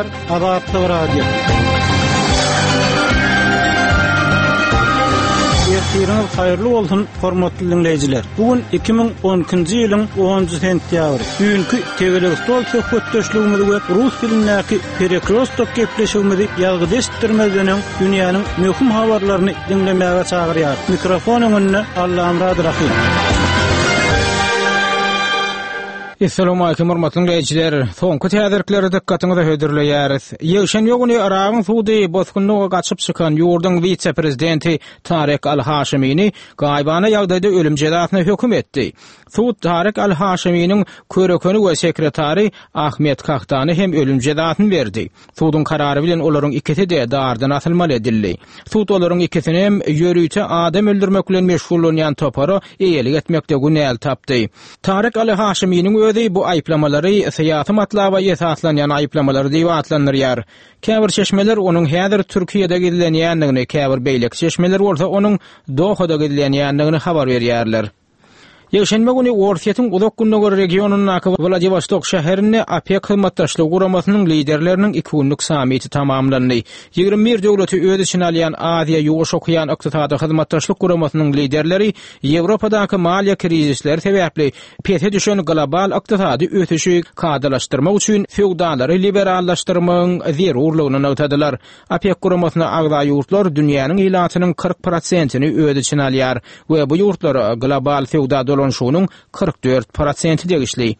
Gepleýär Azatlyk Radiosy. Ertiriňiz haýyrly bolsun, hormatly diňleýjiler. Bu gün 2012-nji ýylyň 10-njy sentýabry. Düýnki tegelek stol söhbetdeşligimizi we rus dilindäki Perekrostok gepleşigimizi ýazgyda eşitdirmezden öň dünýäniň möhüm habarlaryny diňlemäge çagyrýar. Mikrofon öňünde Allamyrat Rahym. Essalawmalikim hormatly diňleýjiler! Soňky täzelikleri dykgatyňyza hödürleýäris. Ýekşenbe güni Yragyň sudy bosgunlyga gaçyp çykan ýurduň wise-prezidenti Tarek al-Haşimini gaýybana ýagdaýda ölüm jezasyna höküm etdi. Sud Tarek al-Haşiminiň körekeni we sekretary Ahmet Kahtana hem ölüm jezasyny berdi. Suduň karary bilen olaryň ikisi-de dardan asylmaly edildi. Sud olaryň ikisini hem ýörite adam öldürmek bilen meşgullanýan topara eýelik etmekde günäli tapdy. Tarek Aly Haşiminiň özi bu aýyplamalary syýasy matlaba esaslanýan aýyplamalar diýip atlandyrýar. Käbir çeşmeler onuň häzir Türkiýede gizlenýändigini, käbir beýleki çeşmeler bolsa onuň Dohada gizlenýändigini habar berýärler. Ýekşenbe güni Orsýetiň Uzak Gündogar regionyndaky Wladiwostok şäherinde OPEK hyzmatdaşlygy guramasynyň liderleriniň iki günlük sammiti tamamlandy. 21 döwleti öz içine alýan Aziýa-Ýuwaş okean ykdysady hyzmatdaşlyk guramasynyň liderleri Ýewropadaky maliýe krizisleri sebäpli pese düşen global ykdysady ösüşi kadalaşdyrmak üçin söwdalary liberallaşdyrmagyň zerurlygyny nygtadylar. OPEK guramasyna agza ýurtlar dünýäniň ilatynyň 40 prosentini öz içine alýar we bu ýurtlara global söwda dolanyşygynyň 44 prosenti degişli.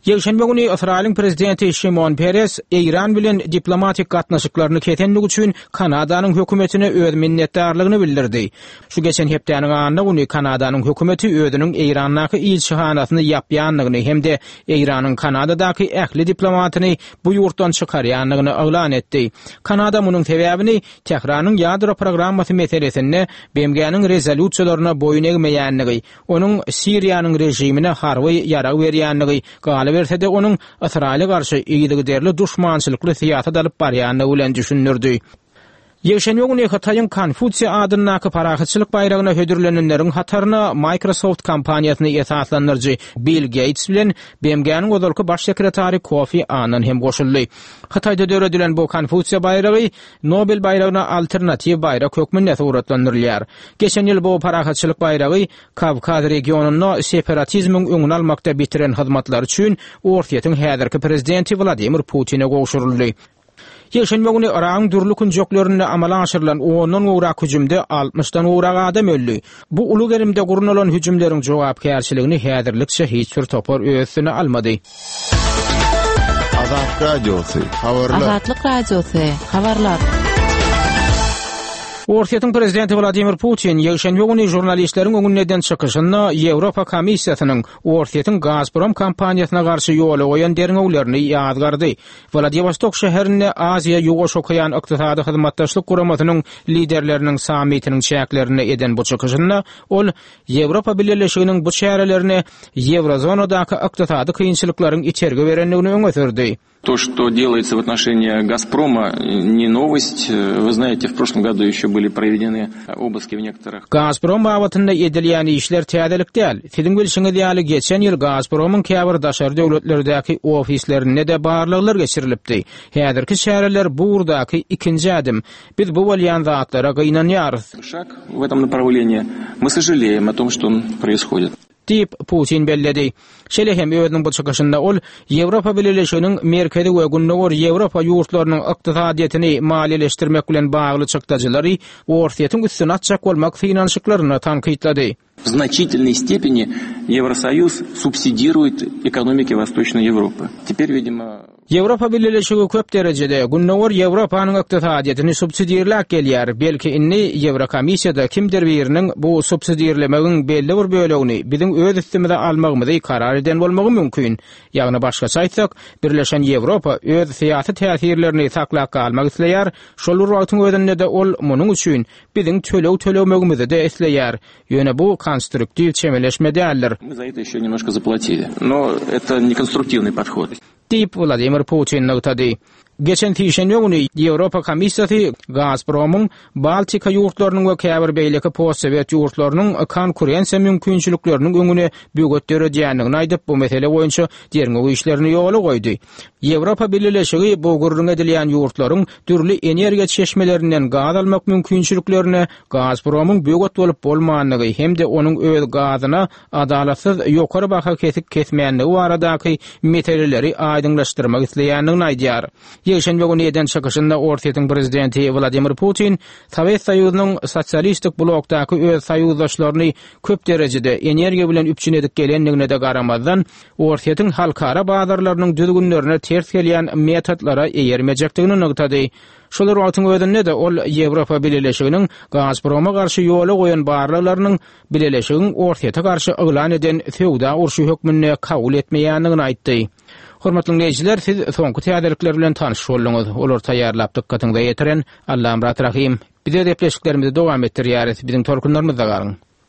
Ýekşenbe güni Ysraýylyň prezidenti Şimon Peres Eýran bilen diplomatik gatnaşyklaryny kesendigi üçin Kanadanyň hökümetine öz minnetdarlygyny bildirdi. Şu geçen hepdäniň anna güni Kanadanyň hökümeti özüniň Eýrandaky ilçihanasyny ýapýandygyny hem-de Eýranyň Kanadadaky ähli diplomatyny bu ýurtdan çykarýandygyny yglan etdi. Kanada munuň sebäbini Tähranyň ýadro programmasy meselesinde BMG-niň rezolýusiýalaryna boýun egmeýändigi, onuň Siriýanyň režimine harby ýarag berýändigi, galyberse-de onuň Ysraýyla garşy yzygiderli duşmançylykly syýasat alyp barýandygy bilen düşündirdi. Ýekşenbe güni Hytaýyň Konfusiý adyndaky parahatçylyk baýragyna hödürlenenleriň hataryna Microsoft kompaniýasyny esaslandyryjy Bill Geýts bilen BMG-niň ozalky baş sekretary Kofi Annan hem goşuldy. Hytaýda döredilen bu Konfusiý baýragy Nobel baýragyna alternatiw baýrak hökmünde suratlandyrylýar. Geçen ýyl bu parahatçylyk baýragy Kawkaz regionynda separatizmiň öňüni almakda bitiren hyzmatlary üçin Orsýetiň häzirki prezidenti Wladimir Putine gowşuryldy. Ýekşenbe güni Yragyň dürli künjeklerinde amala aşyrylan ondan gowrak hüjümde altmyşdan gowrak adam öldi. Bu uly gerimde gurnalan hüjümleriň jogapkärçiligini häzirlikçe hiç bir topar öz üstüne almady. Azatlyk Radiosy, habarlar. Azatlyk Radiosy, habarlar. Orsýetiň prezidenti Wladimir Putin ýekşenbe güni žurnalistleriň öňünde eden çykyşynda Ýewropa Komissiýasynyň Orsýetiň Gazprom kompaniýasyna garşy ýola goýan derňewlerini ýazgardy. Wladiwostok şäherinde Aziýa-Ýuwaş okean ykdysady hyzmatdaşlyk guramasynyň liderleriniň sammitiniň çäklerinde eden bu çykyşynda ol Ýewropa Bileleşiginiň bu çärelerine ýewrozonadaky ykdysady kynçylyklaryň itergi berendigini öňe sürdi. То, что делается в отношении «Газпрома», не новость. Вы знаете, в прошлом году еще были проведены обыски в некоторых. Gazprom babatynda edilýän işler täzelik däl. Siziň bilşiňiz ýaly, geçen ýyl Gazpromyň käbir daşary döwletlerdäki ofislerinde-de barlaglar geçirilipdi. Häzirki çäreler bu ugurdaky ikinji ädim. Biz bu bolýan zatlara gynanýarys. Şag w etom naprawlenii. My sožaleýem o tom, çto proishodit. Diýip, Putin belledi. Şeýle hem özüniň bu çykyşynda ol Ýewropa Bileleşiginiň Merkezi we Gündogar Ýewropa ýurtlarynyň ykdysadyýetini maliýeleşdirmek bilen bagly çykdajylary Orsýetiň üstüne atjak bolmak synanyşyklaryny tankytlady. W znaçitelnoý stepeni Ýewrosoýuz subsidiruet ekonomiki Wostoçnoý Ýewropy. Teper, widimo. Ýewropa Bileleşigi köp derejede Gündogar Ýewropanyň ykdysadyýetini subsidirläp gelýär. Belki indi Ýewrokomissiýada kimdir biriniň bu subsidirlemegiň belli bir bölegini biziň öz üstümize almagymyzy karar eden bolmagy mümkin. Ýagny başgaça aýtsak, Birleşen Ýewropa öz syýasy täsirlerini saklap galmak isleýär, şol bir wagtyň özünde-de ol munuň üçin biziň töleg tölemegimizi-de isleýär. Ýöne bu konstruktiw çemeleşme däldir. Мы za eto ýeşe nemnožko zaplatili. No eto ne konstruktiwnyý podhod. Diýip, Wladimir Putin nygtady. Geçen sişenbe güni Ýewropa Komissiýasy Gazpromyň Baltika ýurtlarynyň we käbir beýleki postsowet ýurtlarynyň konkurensiýa mümkinçilikleriniň öňüne böwet döredýändigini aýdyp, bu mesele boýunça derňew işlerini ýola goýdy. Ýewropa Bileleşigi bu gürrüňi edilýän ýurtlaryň dürli energiýa çeşmelerinden gaz almak mümkinçiliklerine Gazpromyň böwet bolup bolmandygy hem-de onuň öz gazyna adalatsyz ýokary baha kesik kesmänligi baradaky meseleleri aýdyňlaşdyrmak isleýändigini aýdýar. Ýekşenbe güni eden çykyşynda Orsýetiň prezidenti Wladimir Putin Sowet Soýuzynyň sosialistik blokdaky öz soýuzdaşlaryny köp derejede energiýa bilen üpjün edip gelendigine-de garamazdan, Orsýetiň halkara bazarlarynyň düzgünlerine ters gelýän metodlara eýermejekdigini nygtady. Şol bir wagtyň özünde-de ol Ýewropa Bileleşiginiň Gazproma garşy ýola goýan barlaglarynyň Bileleşigiň Orsýete garşy yglan eden söwda urşy hökmünde kabul etmeýändigini aýtdy. Hormatly diňleýjiler, siz soňky täzelikler bilen tanyş bolduňyz. Olary taýýarlap dykgatyňyza ýetiren Allamyrat Rahym. Biz öz gepleşiklerimizi dowam etdirýäris. Biziň tolkunlarymyzda galyň.